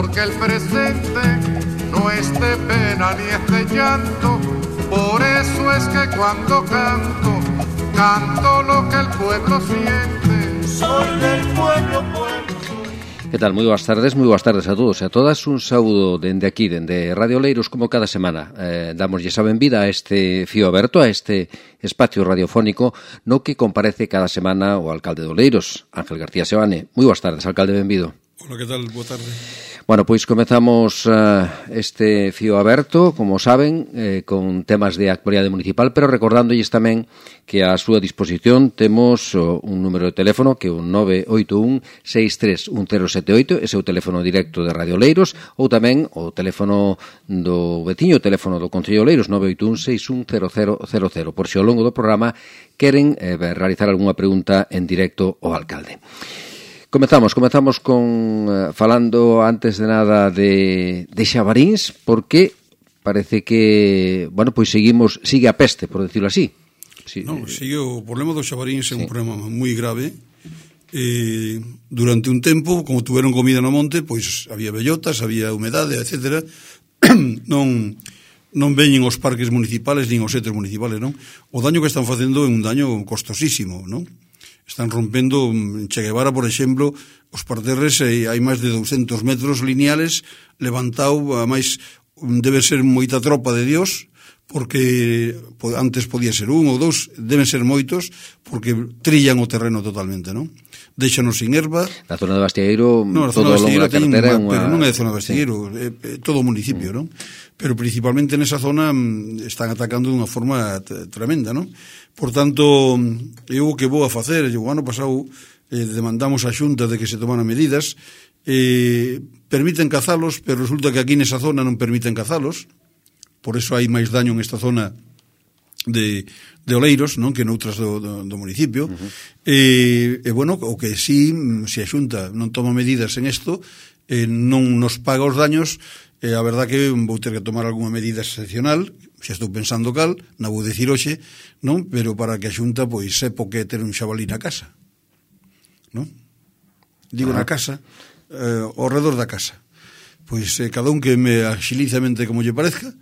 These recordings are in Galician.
porque el presente no es de pena ni es de llanto. Por eso es que cuando canto, canto lo que el pueblo siente. Soy del pueblo, Que tal? Moi boas tardes a todos e a todas. Un saúdo dende aquí, dende Radio Oleiros, como cada semana. Damoslle a benvida a este fío aberto, a este espacio radiofónico no que comparece cada semana o alcalde de Oleiros, Ángel García Seoane. Moi boas tardes, alcalde, benvido. Hola, que tal? Boa tarde. Bueno, pois comezamos este fío aberto, como saben, con temas de actualidade municipal, pero recordándolles tamén que a súa disposición temos un número de teléfono que é un 981-631078, ese é o teléfono directo de Radio Oleiros, ou tamén o teléfono do veciño, o teléfono do Concello Oleiros, 981-610000, por se ao longo do programa queren realizar algunha pregunta en directo ao alcalde. Comezamos con falando antes de nada de Xabaríns, porque parece que, bueno, pois sigue a peste, por decirlo así. Sí, no, sigue o problema do Xabaríns, é un problema moi grave. Durante un tempo, como tuveron comida no monte, pois había bellotas, había humedade, etcétera. Non veñen os parques municipales nin os centros municipales, non? O daño que están facendo é un daño costosísimo, non? Están rompendo en Che Guevara, por exemplo, os parterres, hai máis de 200 metros lineales levantado, a máis debe ser moita tropa de Dios, porque antes podía ser un ou dous, deben ser moitos, porque trillan o terreno totalmente, non? Déixanos sin herba. Na zona de Bastiegueiro, todo o longo da carretera, pero non é de zona de Bastiegueiro, é todo o municipio, non? Pero principalmente nesa zona están atacando dunha forma tremenda, non? Por tanto, eu o que vou a facer, o ano pasado demandamos a Xunta de que se tomaran medidas, permiten cazalos, pero resulta que aquí nesa zona non permiten cazalos, por eso hai máis daño en esta zona de Oleiros, non, que noutras do municipio. Bueno, o que sí, se a Xunta non toma medidas en isto, non nos paga os daños, a verdad que vou ter que tomar algunha medida excepcional, xa estou pensando cal, non vou dicir hoxe, non, pero para que a Xunta pois sepa que ter un xabalí na casa, non? Digo na casa, ao redor da casa. Pois cada un que me axilice a mente como lle parezca,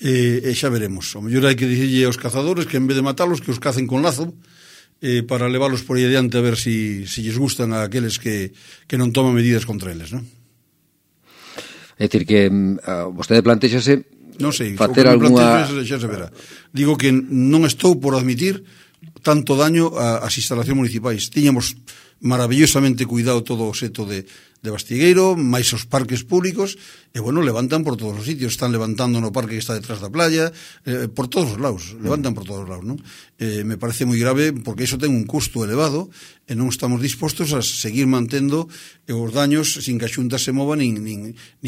e xa veremos. O mellor hai que dicirlle aos cazadores que en vez de matalos, que os cacen con lazo, para leválos por aí adiante a ver si lles gustan a aqueles que non toman medidas contra eles, non? É dicir que vostede plantéxase non sei, facer algunha... xa se verá. Digo que non estou por admitir tanto daño ás instalacións municipais. Tiñamos maravillosamente cuidado todo o seto de Bastiegueiro, máis os parques públicos, e bueno, levantan por todos os sitios, están levantando no parque que está detrás da playa, por todos os lados, levantan por todos os lados, non? Me parece moi grave, porque iso ten un custo elevado, e non estamos dispostos a seguir mantendo os daños sin que a Xunta se mova nin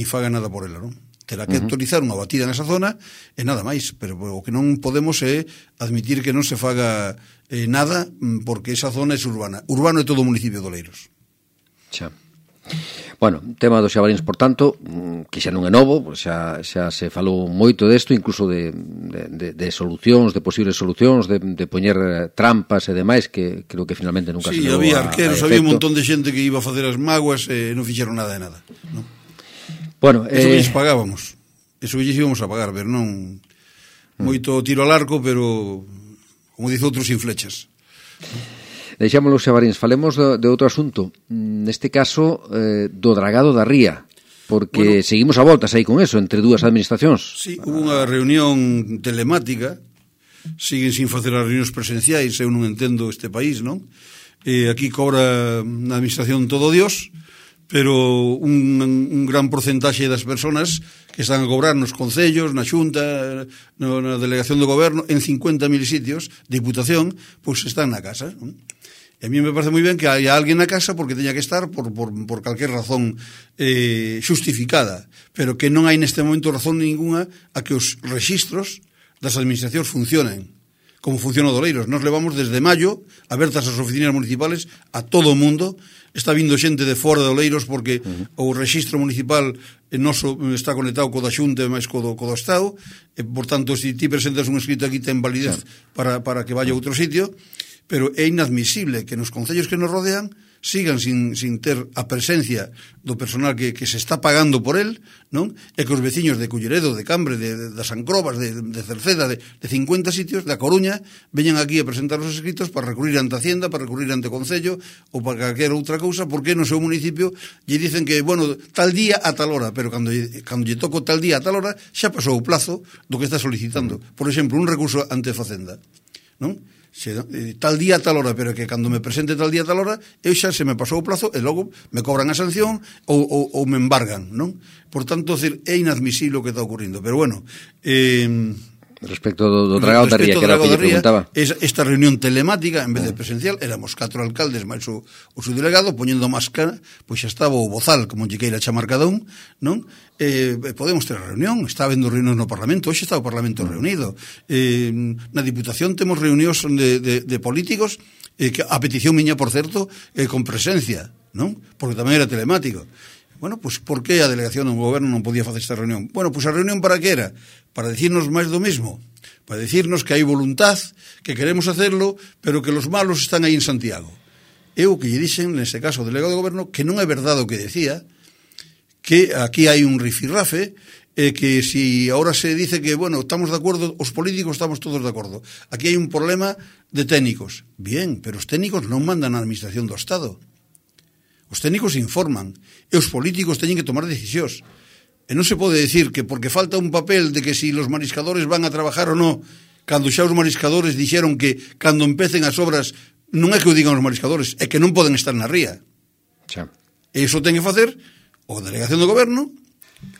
faga nada por ela, non? Terá que autorizar unha batida nesa zona e nada máis, pero o que non podemos é admitir que non se faga nada, porque esa zona é urbana. Urbano é todo o municipio de Oleiros. Xa. Bueno, tema dos xabaríns, por tanto, que xa non é novo, xa se falou moito desto, incluso de solucións, de posibles solucións, de poñer trampas e demais, que creo que finalmente nunca se levou a efecto. Sí, había arqueros, había un montón de xente que iba a facer as mágoas e non fixeron nada de nada, non? Bueno, eso que lles pagábamos, eso que lles íbamos a pagar, pero non moito tiro al arco, pero como dice outros, sin flechas. Deixámoslo, Xabaríns, falemos de outro asunto, neste caso do dragado da ría, porque seguimos a voltas aí con eso, entre dúas administracións. Sí, hubo unha reunión telemática, siguen sin facer as reunións presenciais, eu non entendo este país, non? Aquí cobra na administración todo Dios, pero un gran porcentaxe das persoas que están a cobrar nos concellos, na Xunta, na delegación do goberno, en 50.000 sitios de diputación, pois están na casa, non? E a mí me parece moi ben que haya alguén na casa porque teña que estar por calquer razón xustificada, pero que non hai neste momento razón ninguna a que os rexistros das administracións funcionen como funciona o de Oleiros. Nos levamos desde maio abertas as oficinas municipales a todo o mundo. Está vindo xente de fora de Oleiros porque o rexistro municipal noso está conectado co da Xunta e máis co do Estado, e, por tanto, se ti presentas un escrito aquí ten validez para que vaya a outro sitio, pero é inadmisible que nos concellos que nos rodean sigan sin ter a presencia do personal que se está pagando por el, non? E que os veciños de Culleredo, de Cambre, das Ancrobas, de Cerceda, de 50 sitios, da Coruña, veñan aquí a presentar os escritos para recurrir ante Hacienda, para recurrir ante o Concello ou para calquera outra cousa, porque no seu municipio lle dicen que, bueno, tal día a tal hora, pero cando lle toco tal día a tal hora, xa pasou o plazo do que está solicitando. Por exemplo, un recurso ante Facenda, non? Tal día a tal hora, pero que cando me presente tal día a tal hora, eu xa se me pasou o plazo e logo me cobran a sanción ou me embargan, non? Por tanto, é inadmisible o que está ocurrindo. Pero bueno, respecto do Dragao da Ría, que era o que lle preguntaba. Esta reunión telemática, en vez de presencial, éramos 4 alcaldes máis o seu delegado, poñendo máscara, pois xa estaba o bozal, como lle queira chamar cada un, non? Podemos ter a reunión, está habendo reunións no Parlamento, hoxe está o Parlamento reunido, na Diputación temos reunións de políticos, que a petición miña, por certo, con presencia, non? Porque tamén era telemático. Bueno, pois por que a delegación do goberno non podía facer esta reunión? Bueno, pois a reunión para que era? Para decirnos máis do mismo, para decirnos que hai voluntad, que queremos hacerlo, pero que los malos están aí en Santiago. Eu que lle dixen, nese caso, o delegado do goberno, que non é verdade o que decía, que aquí hai un rifirrafe, que si ahora se dice que, bueno, estamos de acordo, os políticos estamos todos de acordo. Aquí hai un problema de técnicos. Bien, pero os técnicos non mandan a administración do Estado. Os técnicos informan, e os políticos teñen que tomar decisións. E non se pode decir que porque falta un papel de que si los mariscadores van a trabajar ou non, cando xa os mariscadores dixeron que cando empecen as obras non é que o digan os mariscadores, é que non poden estar na ría. Xa. E iso ten que facer o Delegación do Goberno,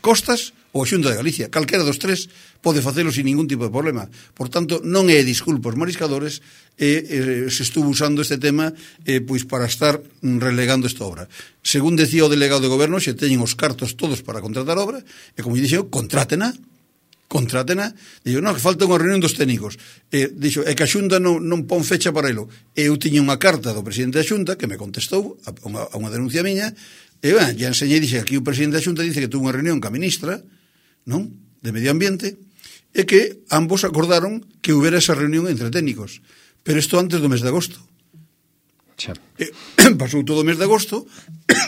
Costas ou a Xunta de Galicia. Calquera dos tres pode facelo sin ningún tipo de problema. Por tanto, non é disculpa os mariscadores, se estuvo usando este tema pois para estar relegando esta obra. Según decía o delegado de goberno, xe teñen os cartos todos para contratar obra, e como dixo, contrátena. Dixo, non, que falta unha reunión dos técnicos. Dixo, é que a Xunta non pon fecha para elo. Eu tiña unha carta do presidente da Xunta que me contestou a unha denuncia miña, e ya enseñei, dixe, aquí o presidente da Xunta dice que tuvo unha reunión ca ministra, non, de Medio Ambiente, e que ambos acordaron que houbera esa reunión entre técnicos. Pero isto antes do mes de agosto. Pasou todo o mes de agosto,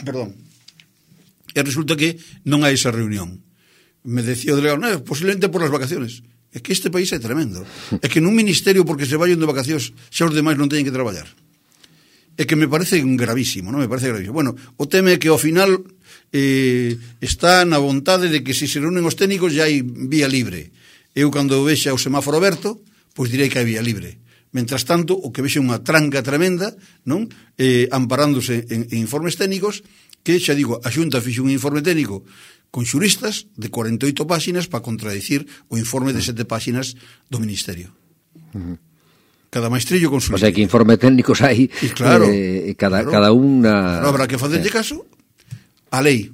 perdón, e resulta que non hai esa reunión. Me decía o delegado, posiblemente por las vacaciones. É que este país é tremendo. É que nun ministerio, porque se vayan de vacacións, xa os demais non teñen que traballar. É que me parece gravísimo, non? Me parece gravísimo. Bueno, o tema é que ao final está na vontade de que se reúnen os técnicos já hai vía libre. Eu, cando vexa o semáforo aberto, pois direi que hai vía libre. Mentras tanto, o que vexe unha tranca tremenda, non? Amparándose en informes técnicos, que, xa digo, a Xunta fixe un informe técnico con xuristas de 48 páxinas para contradicir o informe de 7 páxinas do Ministerio. Cada maestrillo con su... O sea, que informe técnicos hai, claro, cada unha... Claro, habrá que facerlle caso a lei.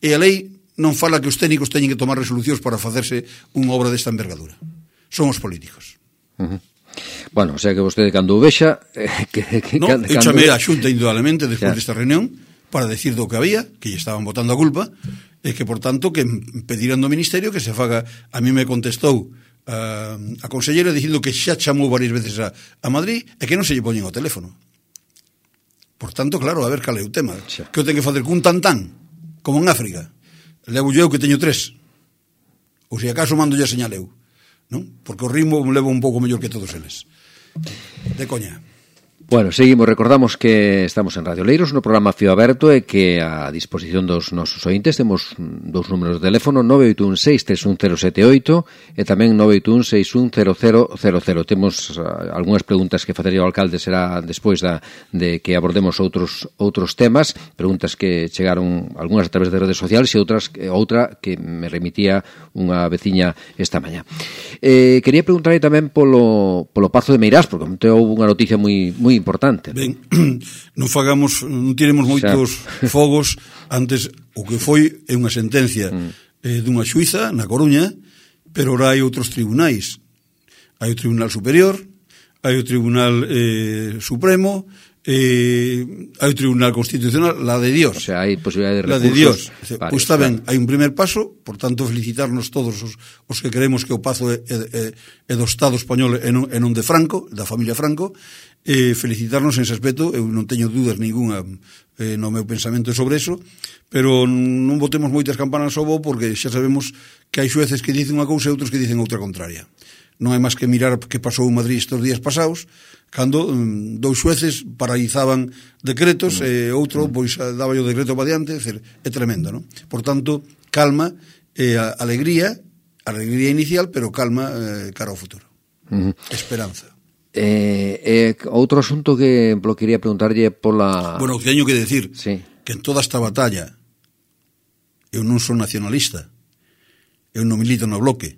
E a lei non fala que os técnicos teñen que tomar resolucións para facerse unha obra desta envergadura. Son os políticos. Bueno, o sea que vostede cando o vexa... eu chamei a Xunta indudablemente despois desta reunión para decir do que había, que lle estaban botando a culpa, e que, por tanto, que pediran do Ministerio que se faga... A mí me contestou a consellera dicindo que xa chamou varias veces a Madrid e que non se lle poñen o teléfono. Por tanto, claro, a ver cal é o tema. Que eu tenho que facer cun tantán, como en África. Levo eu que teño 3. Ou se acaso mando ya señal eu. Non? Porque o ritmo me levo un pouco mellor que todos eles. De coña. Bueno, seguimos, recordamos que estamos en Radio Leiros, no programa Fío Aberto, e que a disposición dos nosos ointes temos dous números de teléfono, 981-631-078 e tamén 981-610000. Temos algunhas preguntas que facería o alcalde, será despois de que abordemos outros temas, preguntas que chegaron algunhas a través de redes sociales e outra que me remitía unha veciña esta mañá. Quería preguntarle tamén polo Pazo de Meirás, porque houve unha noticia moi importante. Ben, non tiremos moitos fogos. Antes, o que foi é unha sentencia dunha xuíza na Coruña, pero ora hai outros tribunais. Hai o Tribunal Superior, hai o Tribunal Supremo, hai o Tribunal Constitucional, la de Dios. O sea, hai posibilidade de recursos. La de Dios. Pois está ben, hai un primer paso, por tanto, felicitarnos todos os que creemos que o pazo é do Estado español e non de Franco, da familia Franco, felicitarnos en ese aspecto. Eu non teño dúdas ninguna no meu pensamento sobre eso, pero non botemos moitas campanas ao bo, porque xa sabemos que hai xueces que dicen unha cousa e outros que dicen outra contraria. Non hai máis que mirar que pasou en Madrid estes días pasados, cando dous xueces paralizaban decretos e outro pois daba o decreto para diante. É tremendo, non? Por tanto, calma, alegría inicial, pero calma cara ao futuro. Esperanza. Outro asunto que quería preguntarlle pola... Bueno, teño que decir que en toda esta batalla eu non son nacionalista, eu non milito no Bloque,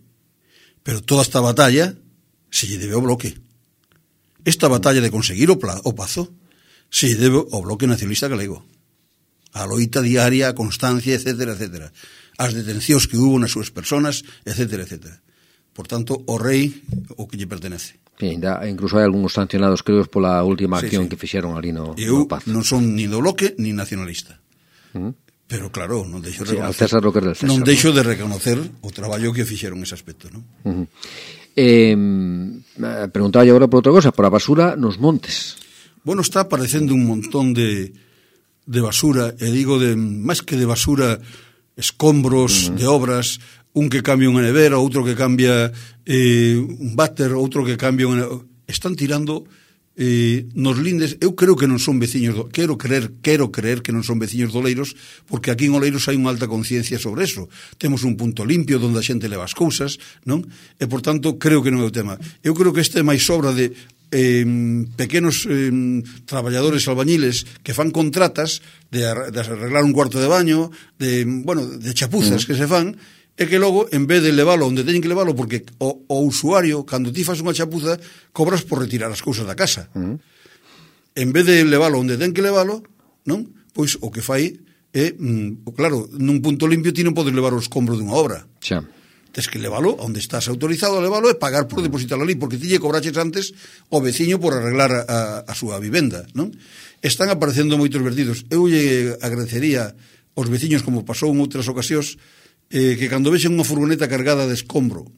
pero toda esta batalla se lle debe ao Bloque. Esta batalla de conseguir o pazo se lle debe ao Bloque Nacionalista Galego, a loita diaria, a constancia, etcétera, etcétera, as detencións que hubo nas súas personas, etcétera, etcétera. Por tanto, o rei o que lle pertenece. Incluso hai algúns sancionados, creo, pola última acción que fixeron ali no Pazo. Eu non son ni do Bloque ni nacionalista. Pero claro, non deixo de reconocer, César lo que del César, non deixo de reconocer o traballo que fixeron ese aspecto, non? Preguntaba agora por outra cosa, por a basura nos montes. Bueno, está aparecendo un montón de basura, e digo máis que de basura, escombros de obras, un que cambia unha nevera, outro que cambia un váter, outro que cambia están tirando nos lindes. Eu creo que non son veciños quero creer que non son veciños de Oleiros, porque aquí en Oleiros hai unha alta conciencia sobre eso. Temos un punto limpio onde a xente leva as cousas, non? E por tanto creo que non é o tema. Eu creo que este é máis obra de pequenos traballadores albañiles que fan contratas de arreglar un cuarto de baño, de chapuzas que se fan, e que logo, en vez de leválo onde teñen que leválo, porque o usuario, cando ti fas unha chapuza, cobras por retirar as cousas da casa. En vez de leválo onde ten que leválo, non? Pois o que fai é, claro, nun punto limpio ti non podes levar o escombro dunha obra. Xa. Tens que leválo onde estás autorizado a leválo e pagar por depositarlo ali, porque ti lle cobraches antes o veciño por arreglar a súa vivenda, non? Están aparecendo moitos vertidos. Eu lle agradecería aos veciños, como pasou en outras ocasións, que cando vexen unha furgoneta cargada de escombro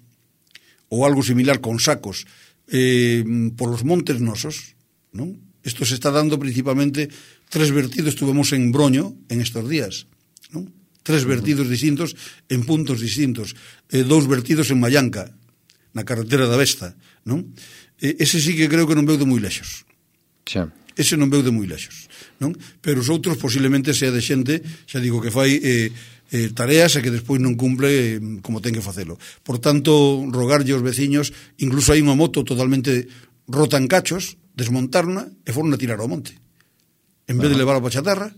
ou algo similar con sacos por los montes nosos, non? Isto se está dando principalmente 3 vertidos, estuvemos en Broño en estos días, non? 3 vertidos distintos en puntos distintos, 2 vertidos en Mallanca, na carretera da Vesta, non? Ese sí que creo que non veu de moi lexos. Xa. Ese non veu de moi lexos, non? Pero os outros posiblemente sea de xente, xa digo, que fai tareas e que despois non cumple como ten que facelo. Por tanto, rogarlle aos veciños, incluso hai unha moto totalmente rota en cachos, desmontarna e foron a tirar ao monte. En vez de levar a chatarra,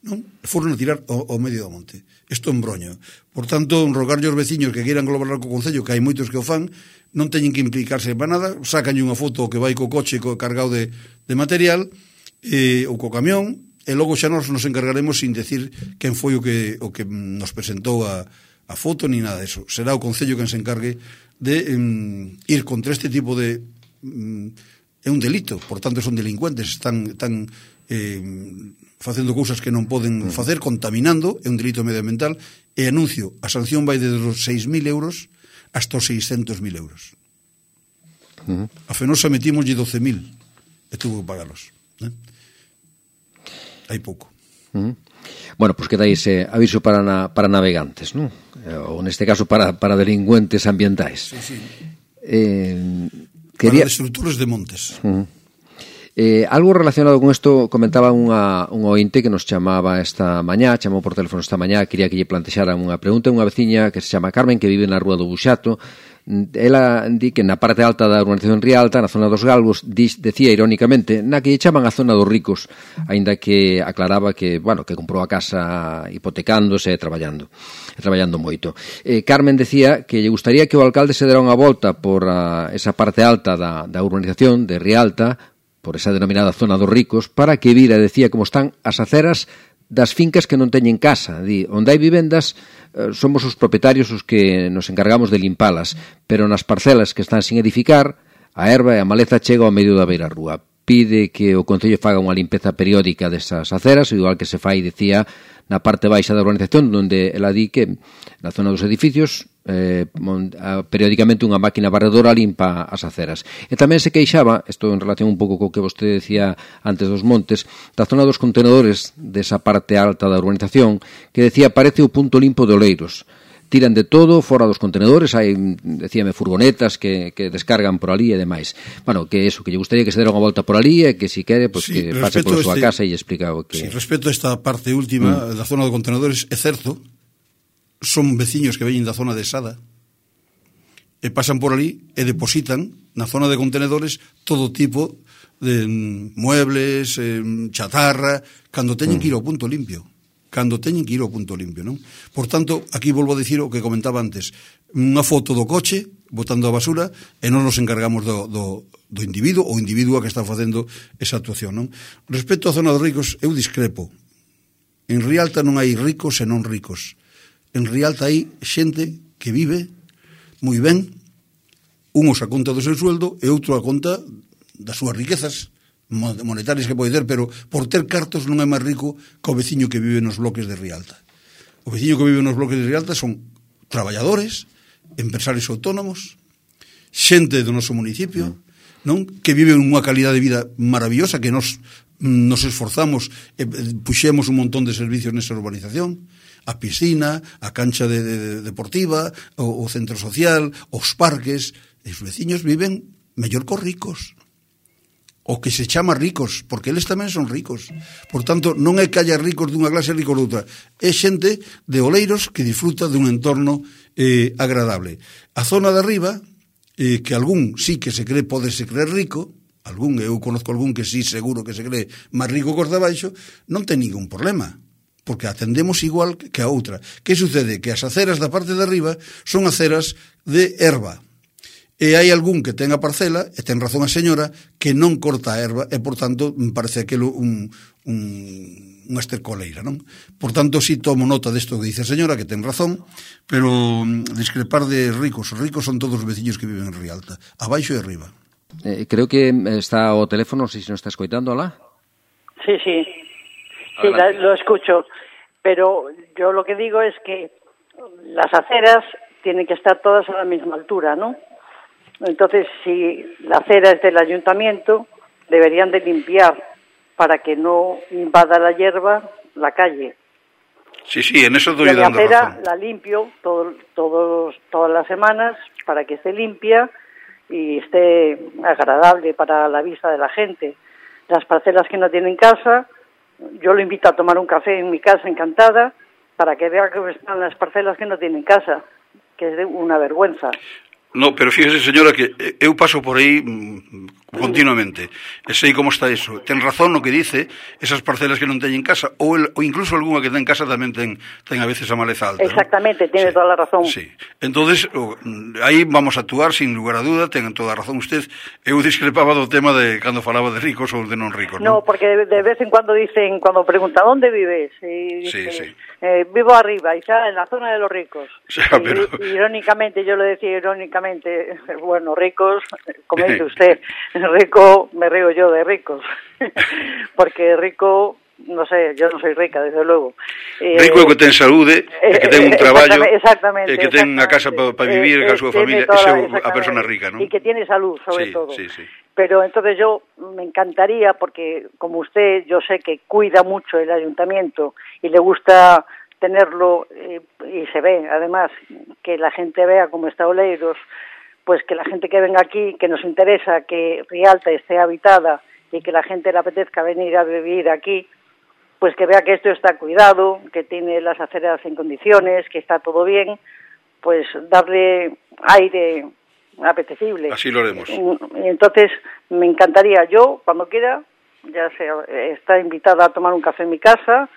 non? Foron a tirar ao medio do monte. Isto en Broño. Por tanto, rogarlle aos veciños que queiran colaborar co Concello, que hai moitos que o fan, non teñen que implicarse para nada, sacanlle unha foto que vai co coche cargado de material ou co camión, e logo xa nos encargaremos sin decir quen foi o que nos presentou a foto ni nada disso. Será o Concello quen se encargue de ir contra este tipo de é un delito, por tanto son delincuentes, están facendo cousas que non poden facer, contaminando, é un delito medioambiental, e anuncio, a sanción vai desde os 6.000 euros hasta os 600.000 euros. A Fenosa metimoslle 12.000 e tuvo que pagalos, hai pouco. Bueno, pois queda ese aviso para navegantes, non? Ou neste caso para delincuentes ambientais. Sí. Para destructores de montes. Algo relacionado con isto comentaba un ointe que nos chamaba esta mañá, chamou por teléfono esta mañá, quería que lle plantexaran unha pregunta, unha veciña que se chama Carmen, que vive na Rúa do Buxato. Ela di que na parte alta da urbanización Rialta, na zona dos Galgos, decía irónicamente, na que lle chaman a zona dos ricos, aínda que aclaraba que, bueno, que comprou a casa hipotecándose e traballando moito. Carmen decía que lle gustaría que o alcalde se dera unha volta por esa parte alta da urbanización de Rialta, por esa denominada zona dos ricos, para que vira, decía, como están as aceras das fincas que non teñen casa. Di, onde hai vivendas, somos os propietarios os que nos encargamos de limpalas, pero nas parcelas que están sin edificar, a herba e a maleza chega ao medio da beira rúa. pide que o Concello faga unha limpeza periódica desas aceras, igual que se fai, decía, na parte baixa da urbanización, onde ela di que na zona dos edificios periódicamente unha máquina barredora limpa as aceras. E tamén se queixaba, isto en relación un pouco co que vostede decía antes dos montes, da zona dos contenedores desa parte alta da urbanización, que decía parece o punto limpo de Oleiros. Tiran de todo fora dos contenedores, hai, decíame, furgonetas que descargan por ali e demais. Bueno, que eso, que lle gustaría que se dera unha volta por ali e que si quere, pues, sí, que pase por súa casa e lle explica o que... Sí, respecto a esta parte última da zona de contenedores, é certo, son veciños que veñen da zona de Sada e pasan por ali e depositan na zona de contenedores todo tipo de muebles, chatarra, cando teñen que ir ao punto limpio. Non? Por tanto, aquí volvo a dicir o que comentaba antes, unha foto do coche botando a basura e non nos encargamos do individuo ou individua que está facendo esa actuación, non? Respecto á zona dos ricos, eu discrepo. En Rialta non hai ricos e non ricos. En Rialta hai xente que vive moi ben, unos a conta do seu sueldo e outro a conta das súas riquezas monetarias que pode ter, pero por ter cartos non é máis rico que o veciño que vive nos bloques de Rialta. O veciño que vive nos bloques de Rialta son traballadores, empresarios autónomos, xente do noso municipio, non, que viven unha calidade de vida maravillosa, que nos esforzamos e puxemos un montón de servicios nesa urbanización, a piscina, a cancha deportiva, o centro social, os parques, e os veciños viven mellor que os ricos, o que se chama ricos, porque eles tamén son ricos. Por tanto, non é que haya ricos dunha clase e ricos doutra, é xente de Oleiros que disfruta dun entorno agradable. A zona de arriba, que algún sí que se cree, podese creer rico, eu conozco algún que sí seguro que se cree máis rico que os de abaixo, non ten ningún problema, porque atendemos igual que a outra. Que sucede? Que as aceras da parte de arriba son aceras de erva, e hai algún que ten a parcela, e ten razón a señora, que non corta a erva, e por tanto parece aquilo unha estercoleira, non? Por tanto, si tomo nota desto que dice a señora, que ten razón, pero discrepar de ricos. Os ricos son todos os veciños que viven en Rialta, abaixo e arriba. Creo que está o teléfono, non sei se nos está escoitando, ¿la? Sí, lo escucho, pero yo lo que digo es que las aceras tienen que estar todas a la misma altura, ¿no? Entonces, si la acera es del ayuntamiento, deberían de limpiar para que no invada la hierba la calle. Sí, en eso doy dando razón. La acera la limpio todas las semanas para que esté limpia y esté agradable para la vista de la gente. Las parcelas que no tienen casa, yo lo invito a tomar un café en mi casa encantada para que vea que están las parcelas que no tienen casa, que es una vergüenza. No, pero fíjese, señora, que eu paso por aí continuamente e sei como está eso. Ten razón no que dice, esas parcelas que non teñen casa, ou incluso algunha que ten casa tamén ten a veces a maleza alta. Exactamente, ¿no? Tiene toda la razón. Sí, entonces aí vamos a actuar sin lugar a duda, ten toda a razón usted. Eu discrepaba do tema de cando falaba de ricos ou de non ricos, ¿no? No, porque de vez en cuando dicen, cuando pregunta ¿dónde vives? Y dice, sí. Vivo arriba, y está en la zona de los ricos. O sea, pero... Irónicamente, yo lo decía irónicamente, bueno, ricos, como dice usted, rico, me río yo de ricos, porque rico, no sé, yo no soy rica, desde luego. Rico é que ten saúde, que ten un traballo, que ten unha casa para vivir con a súa familia, esa é a persona rica, ¿no? Y que tiene salud, sobre todo. Sí. Pero entonces yo me encantaría, porque como usted, yo sé que cuida mucho el ayuntamiento y le gusta tenerlo, y se ve, además, que la gente vea cómo está Oleiros, pues que la gente que venga aquí, que nos interesa que Rialta esté habitada y que la gente le apetezca venir a vivir aquí, pues que vea que esto está cuidado, que tiene las aceras en condiciones, que está todo bien, pues darle aire apetecible. Así lo haremos. Y entonces me encantaría, yo cuando quiera, ya sea, está invitada a tomar un café en mi casa,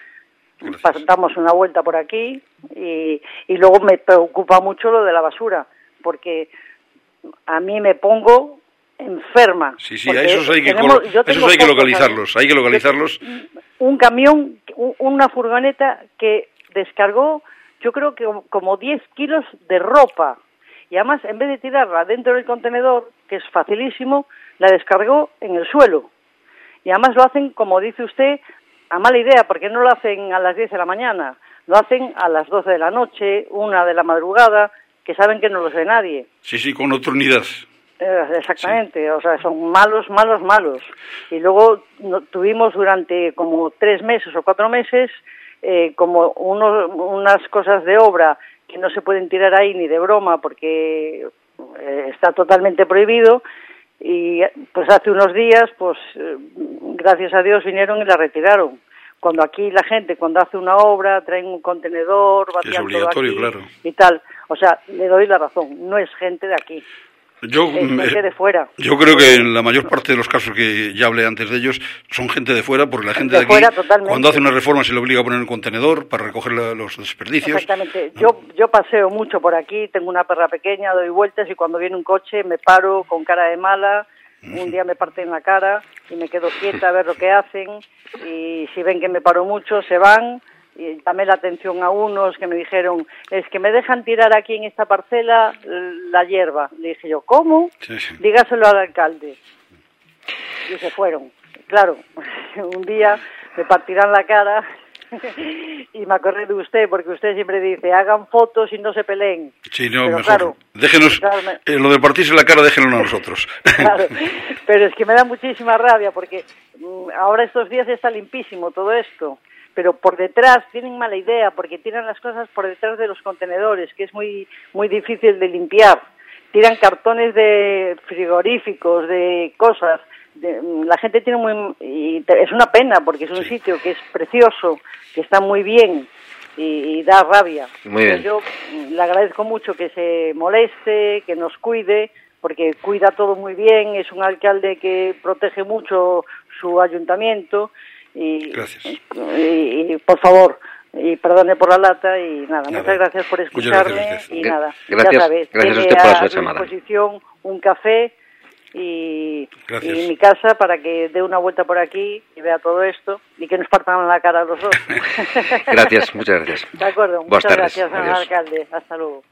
damos una vuelta por aquí y luego me preocupa mucho lo de la basura, porque a mí me pongo enferma. Sí, a esos hay que localizarlos, Un camión, una furgoneta que descargó, yo creo que como 10 kilos de ropa. Y además, en vez de tirarla dentro del contenedor, que es facilísimo, la descargó en el suelo. Y además lo hacen, como dice usted, a mala idea, porque no lo hacen a las 10 de la mañana, lo hacen a las 12 de la noche, 1 de la madrugada, que saben que no los ve nadie. Sí, con nocturnidad. Exactamente, sí. O sea, son malos. Y luego tuvimos durante como 3 meses o 4 meses como unas cosas de obra que no se pueden tirar ahí ni de broma porque está totalmente prohibido. Y pues hace unos días, pues gracias a Dios vinieron y la retiraron. Cuando aquí la gente, cuando hace una obra, traen un contenedor, vacían todo aquí, claro. Y tal. O sea, le doy la razón, no es gente de aquí. Es gente de fuera. Yo creo que en la mayor parte de los casos que ya hablé antes de ellos son gente de fuera, porque la gente de aquí, fuera, totalmente. Cuando hace una reforma se le obliga a poner un contenedor para recoger los desperdicios. Exactamente. Yo paseo mucho por aquí, tengo una perra pequeña, doy vueltas y cuando viene un coche me paro con cara de mala, un día me parten la cara y me quedo quieta a ver lo que hacen y si ven que me paro mucho se van. Y llamé la atención a unos que me dijeron, es que me dejan tirar aquí en esta parcela la hierba. Le dije yo, ¿cómo? Sí. Dígaselo al alcalde. Y se fueron. Claro, un día me partirán la cara y me acordé de usted, porque usted siempre dice, hagan fotos y no se peleen. Sí, no, pero mejor. Claro, déjenos, lo de partirse la cara déjenlo a nosotros. Claro, pero es que me da muchísima rabia, porque ahora estos días está limpísimo todo esto. Pero por detrás tienen mala idea, porque tiran las cosas por detrás de los contenedores, que es muy difícil de limpiar. Tiran cartones de frigoríficos, de cosas. La gente tiene es una pena, porque es un sitio que es precioso, que está muy bien y da rabia. Muy bien. Yo le agradezco mucho que se moleste, que nos cuide, porque cuida todo muy bien, es un alcalde que protege mucho su ayuntamiento. Gracias. Y por favor, y perdone por la lata y nada, muchas gracias por escucharme y nada, gracias, ya sabes, gracias a usted por su llamada. A disposición un café y mi casa para que dé una vuelta por aquí y vea todo esto y que nos partan la cara a los dos. Gracias, muchas gracias. De acuerdo, muchas gracias, señor alcalde. Hasta luego.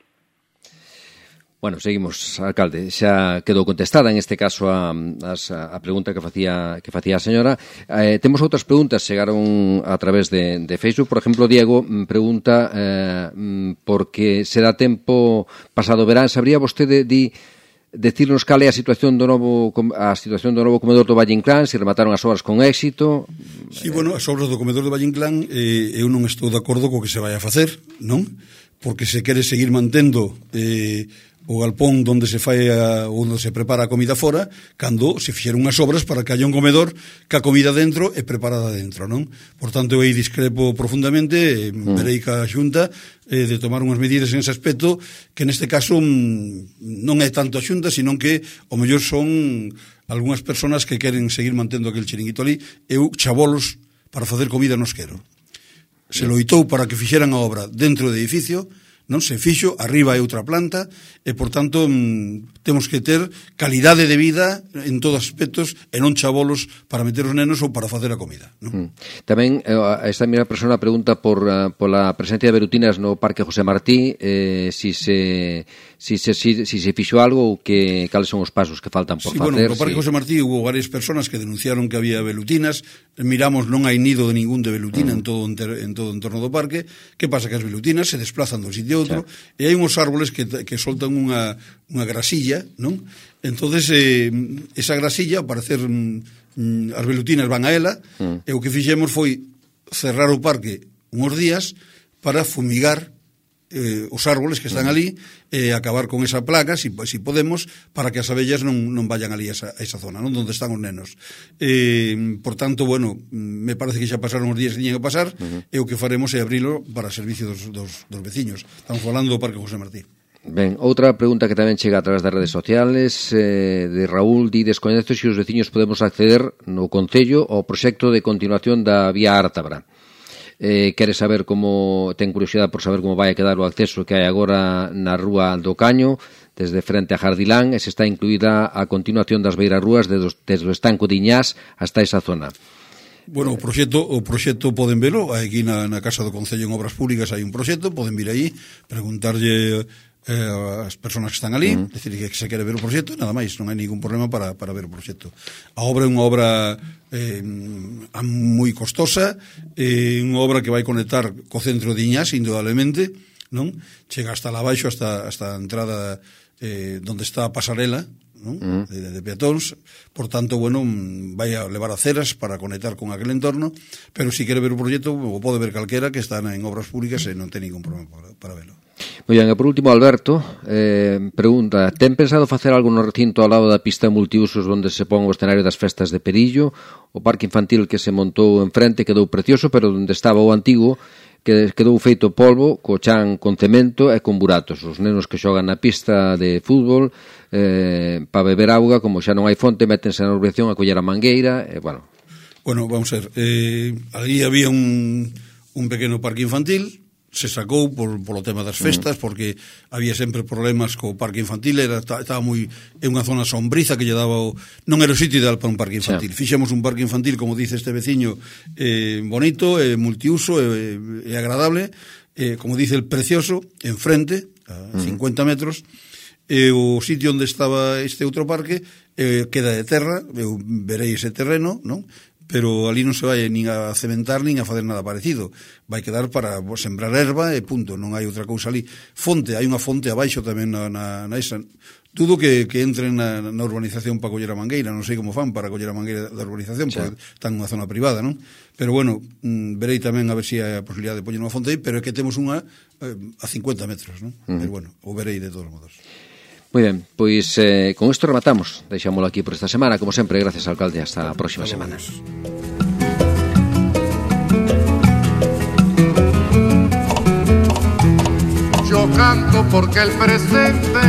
Bueno, seguimos, alcalde. Xa quedou contestada, en este caso, a pregunta que facía a señora. Temos outras preguntas, chegaron a través de Facebook. Por exemplo, Diego pregunta porque se dá tempo pasado verán. Sabría vostede decirnos cal é a situación do novo comedor do Valle Inclán, se remataron as obras con éxito? Sí, bueno, as obras do comedor do Valle Inclán eu non estou de acordo co que se vai a facer, non? Porque se quere seguir mantendo o galpón onde se fai onde se prepara a comida fora, cando se fixeron unhas obras para que haya un comedor ca comida dentro e preparada dentro, non? Por tanto, eu aí discrepo profundamente, verei ca Xunta de tomar unhas medidas en ese aspecto, que neste caso non é tanto a Xunta, sino que o mellor son algunhas persoas que queren seguir mantendo aquel chiringuito ali. Eu chavolos para facer comida nos quero. Se loitou para que fixeran a obra dentro do edificio, non se fixo, arriba é outra planta e, por tanto, temos que ter calidade de vida en todos os aspectos e non chavolos para meter os nenos ou para facer a comida, non? Tamén esta mesma persona pregunta pola presencia de velutinas no Parque José Martí, si se fixo algo ou cales son os pasos que faltan por facer. Bueno, no Parque José Martí hubo varias personas que denunciaron que había velutinas. Miramos, non hai nido de ningún de velutina en todo o entorno do parque. Que pasa? Que as velutinas se desplazan dun sitio a outro, e hai uns árboles que soltan unha grasilla, non? Entonces esa grasilla, ao parecer as velutinas van a ela, e o que fixemos foi cerrar o parque uns días para fumigar os árboles que están ali e acabar con esa plaga, si podemos, para que as abellas non vayan ali a esa zona, non, onde están os nenos. Por tanto, bueno, me parece que xa pasaron os días que tiñan que pasar, e o que faremos é abrilo para servicio dos veciños. Estamos falando do Parque José Martí. Ben, outra pregunta que tamén chega a través das redes sociales de Raúl, descoñece se os veciños podemos acceder no Concello ao proxecto de continuación da vía Ártabra. Quere saber ten curiosidade por saber como vai a quedar o acceso que hai agora na Rúa do Caño, desde frente a Jardilán, e se está incluída a continuación das beirarrúas desde o estanco de Iñás hasta esa zona. Bueno, o proxecto poden velo, aquí na Casa do Concello en Obras Públicas hai un proxecto, poden vir aí, preguntarlle as persoas que están ali, decir, que se quere ver o proxecto, nada máis, non hai ningún problema para ver o proxecto. A obra é unha obra moi costosa, unha obra que vai conectar co centro de Iñás, indudablemente, non? Chega hasta lá abaixo, hasta a entrada donde está a pasarela, non? De peatóns, por tanto, bueno, vai a levar aceras para conectar con aquel entorno, pero si quere ver o proxecto, o pode ver calquera que está en obras públicas e non ten ningún problema para verlo. Moi ben, e por último, Alberto pregunta, ten pensado facer algo no recinto ao lado da pista de multiusos onde se pon o escenario das festas de Perillo? O parque infantil que se montou enfrente quedou precioso, pero onde estaba o antigo que quedou feito polvo, co chan con cemento e con buratos. Os nenos que xogan na pista de fútbol para beber auga, como xa non hai fonte, métense na urbanización a coller a mangueira, bueno. Bueno, vamos a ver, ali había un pequeno parque infantil, se sacou polo tema das festas, porque había sempre problemas co parque infantil, estaba moi en unha zona sombriza que lle daba non era o sitio ideal para un parque infantil. Fixemos un parque infantil, como dice este veciño, bonito, multiuso, e agradable, como dice el precioso, enfrente, a 50 metros, o sitio onde estaba este outro parque queda de terra, eu verei ese terreno, non? Pero ali non se vai nin a cementar nin a fazer nada parecido, vai quedar para sembrar erva e punto, non hai outra cousa ali. Fonte, hai unha fonte abaixo tamén na esa. Dudo que entren na urbanización para coller a mangueira, non sei como fan para coller a mangueira da urbanización, porque están nunha zona privada, non? Pero bueno, verei tamén a ver se hai a posibilidade de poñer unha fonte aí, pero é que temos unha a 50 metros, non? Pero bueno, o verei de todos modos. Moi ben, pois con isto rematamos. Deixámoslo aquí por esta semana. Como sempre, gracias, alcalde. Hasta a próxima semana. Yo canto porque el presente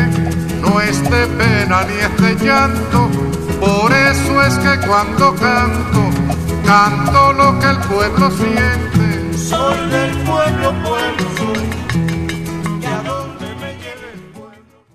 no es de pena ni es de llanto. Por eso es que cuando canto, canto lo que el pueblo siente. Soy del pueblo, soy